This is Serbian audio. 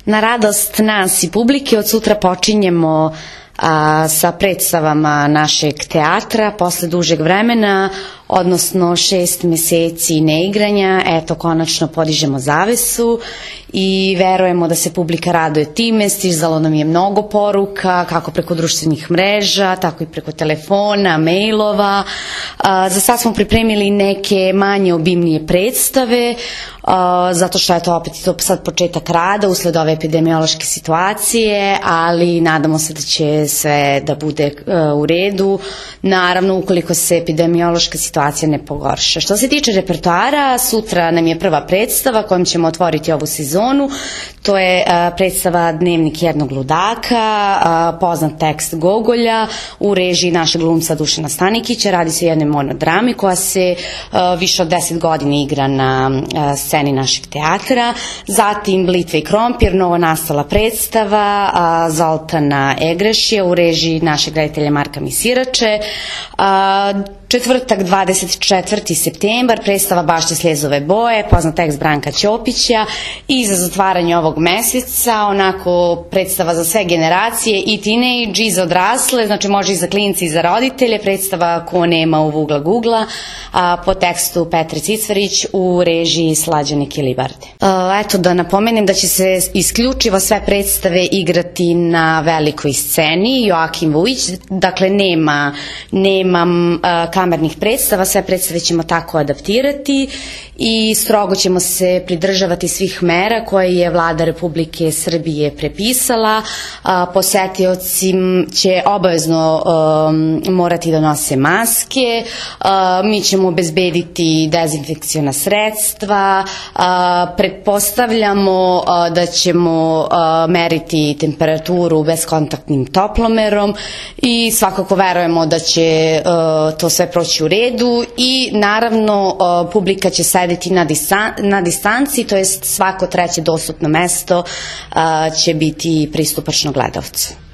Na radost nas i publike od sutra počinjemo sa predstavama našeg teatra posle dužeg vremena, odnosno 6 meseci neigranja. Eto, konačno podižemo zavesu i verujemo da se publika raduje time. Stizalo nam je mnogo poruka, kako preko društvenih mreža, tako i preko telefona, mailova. Za sad smo pripremili neke manje obimnije predstave, zato što je to opet sad početak rada usled ove epidemiološke situacije, ali nadamo se da će sve da bude u redu, naravno ukoliko se epidemiološka situacija ne pogorša. Što se tiče repertoara, sutra nam je prva predstava kojom ćemo otvoriti ovu sezonu. To je predstava Dnevnik jednog ludaka, poznat tekst Gogolja u režiji našeg glumca Dušana Stanikića. Radi se o jednoj monodrami koja se više od 10 godina igra na sceni našeg teatra. Zatim Blitva i krompir, novo nastala predstava Zoltana Egrešija u režiji našeg reditelja Marka Misirače. Četvrtak, 24. septembar, predstava Bašće sljezove boje, poznat tekst Branka Ćopića, i za zatvaranje ovog meseca, onako predstava za sve generacije, i teenage, i za odrasle, znači može i za klince i za roditelje, predstava Ko nema u Vugla Gugla, po tekstu Petre Cicvarić u režiji Slađane Kilibarde. Eto, da napomenem da će se isključivo sve predstave igrati na velikoj sceni, Joakim Vujić, dakle nemam kamernih predstava, sve predstave ćemo tako adaptirati i strogo ćemo se pridržavati svih mera koje je Vlada Republike Srbije prepisala. Posetioci će obavezno morati da nose maske, mi ćemo obezbediti dezinfekciona sredstva, pretpostavljamo da ćemo meriti temperaturu bezkontaktnim toplomerom i svakako verujemo da će to sve proći u redu i naravno publika će sedeti na distanci, to jest svako treće dostupno mesto će biti pristupačno gledalcu.